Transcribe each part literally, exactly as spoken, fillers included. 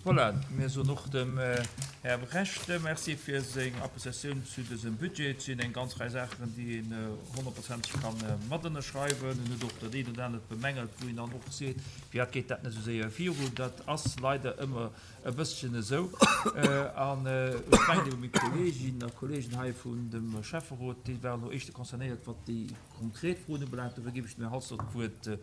Voilà, mir soen och dem Här Brecht Merci fir seng Appréciatioun zu dësem Budget. Et sinn eng ganz Rei Saachen, déi een honnertprozenteg ka matënnerschreiwen. En huet och dat eent oder anert bemängelt, wou een dann och seet, Firwat geet dat net esou séier viru? Dat ass leider ëmmer e bësschen esou. An ech mengen ebe meng Kolleeginnen a Kolleegen hei vun dem Schäfferot, déi waren elo éischter concernéiert, wat déi konkret Froen ubelaangt. Dofir géif ech dem Här Halsdorf d'Wuert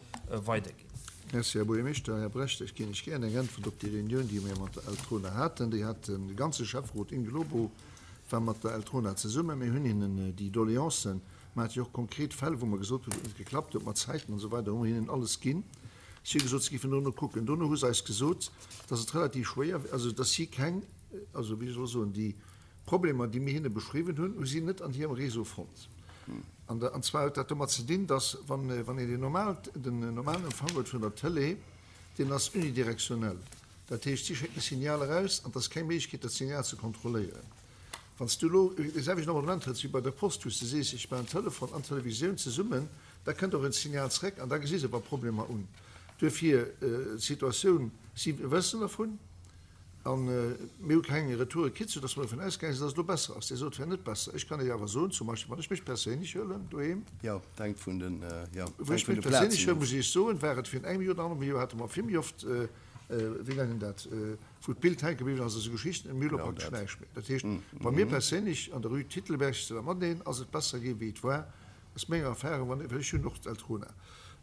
weiderginn. Merci, Här Buergermeeschter. Här Brecht, ech ginn Iech gären eng Äntwert op déi Reunioun, déi mir mat der Eltrona haten. Déi hat de ganze Schäfferot in globo war mat der Eltrona zesummen. Mir hunn hinnen déi Doleancen, mer hate jo och konkret Fäll, wou mer gesot hunn, wou et net geklappt huet mat Zäiten an esou weider, hu mer hinnen alles ginn. Si hu gesot, si géifen dono kucken. Dono hu se eis gesot, dass et relativ schwéier, also dass si keng, also wéi soll ech soen, déi Problemer, déi mir hinne beschriwwen hunn, hu si net an hirem Réseau fonnt. An an zwar huet dat domat ze dinn, dass, wann wann een deen normal den normalen Empfang huet vun der Tëlee, deen ass unidirektionell. Dat heescht, si schécken e Signal eraus an et ass keng Méiglechkeet, dat Signal ze kontrolléieren. Wann s du elo dee selwechten Abonnement hues wéi bei der Post, wou s de sees, ech maachen Telefon an Televisioun zesummen, da kënnt och en Signal zréck an da gesi se wa Problemer un. Duerfir d'Situatioun, si wëssen dervun. A mir hu keng Retoure kritt, soudass mer dovun ausgaange sinn, dass et elo besser ass. Dir sot, et wär net besser. Ech kann Iech awer soen, zum Beispill, wann ech mech perséinlech huelen doheem, Jo, et hänkt vun den, jo, wou ech hänkt vun mech de perséinlech Plazen huelen, of. muss ech Iech soen, war et virun engem Joer oder annerhallem Joer, hate mer vill méi oft, wéi nennen dat, wou d'Bild hänke bliwwen ass, esou Geschichten, mir hu elo Genau praktesch dat. näischt méi. Dat heescht, bei mir perséinlech an der Rue Titelberg, zu der Madeleine, ass et besser gi wéi et war. Aus menger Erfahrung, wann, well ech hunn och d'Eltrona,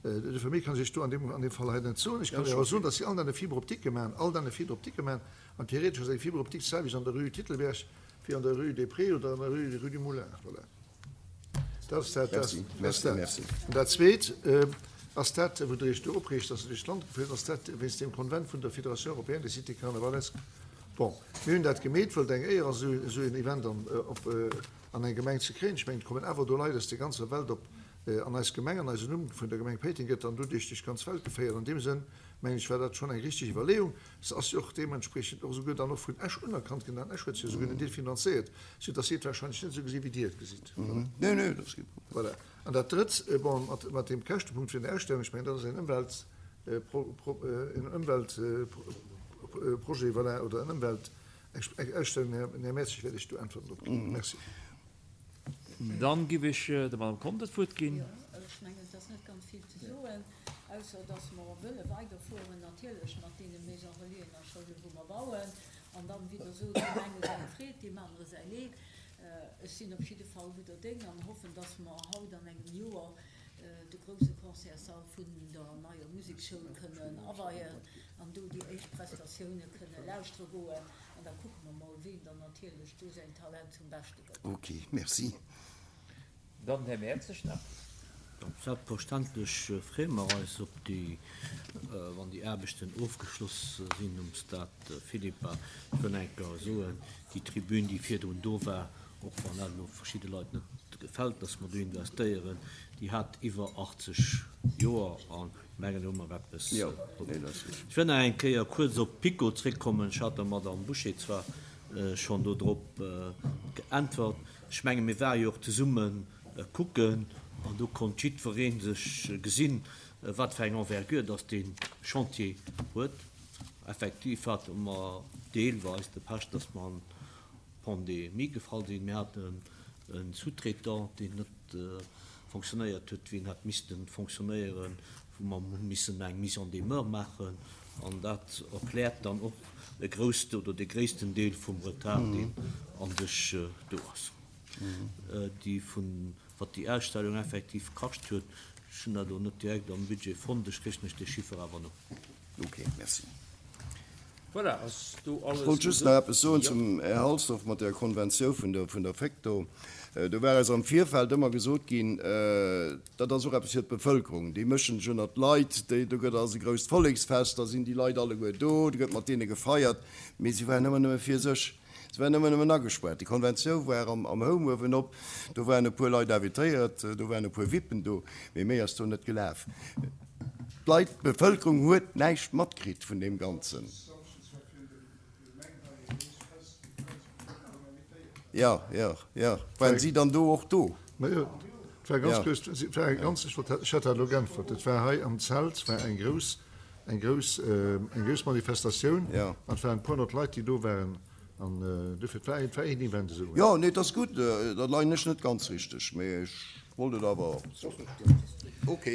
dofir méi kann ech Iech do an deem, an deem Fall hei net soen. Ech kann Iech awer soen, datt si all Dag e Fibre optique maachen, all Dag e Fibre optique maachen, an theoretesch ass eng Fibre optique d'selwecht an der Rue Titelberg wéi an der Rue des Prés oder an der Rue, Rue du Moulin. Voilà. Dat ass dat, dat Merci, ass merci, dat. merci. An dat Zweet ass dat, wou Der Iech do opreegt, datt Der duerch d'Land gefuer sidd, ass dat wéinst deem Konvent vun der Fédération européenne des cités carnavalesques. Bon, mir hunn dat gemeet, well et eng Éier ass, esou, esou een Event an, op, an eng Gemeng ze kréien. Ech mengen, et kommen awer do Leit aus der ganzer Welt op an eis Gemeng, an eisen Numm vun der Gemeng Péiteng gëtt dann do duerch duerch d'ganz Welt geféiert. An deem Sënn, mengen ech, war dat schonn eng richtig Iwwerleeung. Se ass jo och deementspriechend och esouguer dann och vun Esch unerkannt ginn, an Esch huet se jo esouguer en Deel finanzéiert, soudass si et wahrscheinlech net esou gesinn, wéi Dir et gesitt. Voilà. Nee, nee, dat ass kee Problem. Voilà. An dat Drëtt, bon, mat, mat deem Käschtepunkt vun der Ausstellung, ech mengen, dat ass en Ëmwelt, en Ëmweltprojet, voilà, oder en Ëmwelt, Eng Ausstellung, Här Mertzig, wäert ech do Äntwerten drop ginn. Merci. Dann giff ech der Madame Conter d'Wuert ginn. Jo, ech mengen, et ass net ganz vill ze soen, ausser dass mer wëlle weiderfueren natierlech mat deene Maisons relaisen a Schoulen, wou mer bauen. An dann, wéi Der sot, deem enge seng Freed, deem anere säi Leed. Ech sinn op jidde Fall gudder Déng an hoffen, dass mer haut an engem Joer de grousse Concertssall vun der neier Musekschoul kënnen aweien an do déi éischt Prestatioune kënne lauschtere goen. An da kucke mer mol, wien dann natierlech do säin Talent zum Beschte gëtt. Ok, merci. Dann den Här Mertzig nach. Selbstverständlech freeë mer eis op déi, wann déi Aarbechten ofgeschloss sinn um Stade Philippa. Ech wëll eng Kéier soen, déi Tribün, déi virdrun do war, och wann dat elo verschidde Leit net gefält, dass mer do investéieren, déi hat iwwer achtzeg Joer a mengen, do hu mer eppes probéiert. Ech wëll nach eng Kéier kuerz op PiKo zréckkommen. Ech hat der Madame Bouché zwar schonn do drop geäntwert. Ech menge mir ware jo och zesumme kucken an do konnt jiddweree sech gesinn, wat fir eng Envergure dass dee Chantier huet. Effektiv hate mer deelweis de Pech, dass mer an Pandemie gefall sinn. Mir haten e Sous-traitant, deen net fonctionnéiert huet, wéi en hätt misste fonctionnéieren, wou mer hu missen eng Mise en demeure maachen. An dat erkläert dann och e grousst oder de gréissten Deel vum Retard, deen a sech do ass. Déi vun, wat déi Ausstellung effektiv kascht huet, ech hunn dat elo net direkt am Budget fonnt, ech kréich lech dee Chiffer awer no. Ok, merci. Voilà, ass do Ech alles wollt just nach gesot? eppes soen Jo. zum Här Halsdorf mat der Konventioun vun der, vun der Fecto. Do war eis am Virfeld ëmmer gesot ginn, dat ass och eppes fir d'Bevëlkerung, déi mëschen sech ënnert d'Leit, déi, do gëtt ass e grousst Volleksfest, da sinn déi Leit alleguer do, do gëtt mat deene gefeiert. Mee si waren ëmmer nëmme fir sech, se waren ëmmer nëmmen agespaart. Déi Konventioun war am, am Home uewenop, do waren e puer Leit invitéiert, do waren e puer VIPen do, mee méi ass do net gelaf. D'Leit, d'Bevëlkerung huet näischt matkritt vun deem Ganzen. Jo, jo, jo. Waren si dann do och do? Majo, et war ganz grouss, et war ganz, ech wollt, ech hat dat elo geäntwert, et war hei am Zelt war eng grouss eng grouss, eng grouss Manifestatioun Ja. an et waren e puer honnert Leit, déi do waren an dofir, et war, et war een Event esou. Jo, nee, et ass gutt, da leien ech net ganz richteg, mee ech wollt et awer. Ok.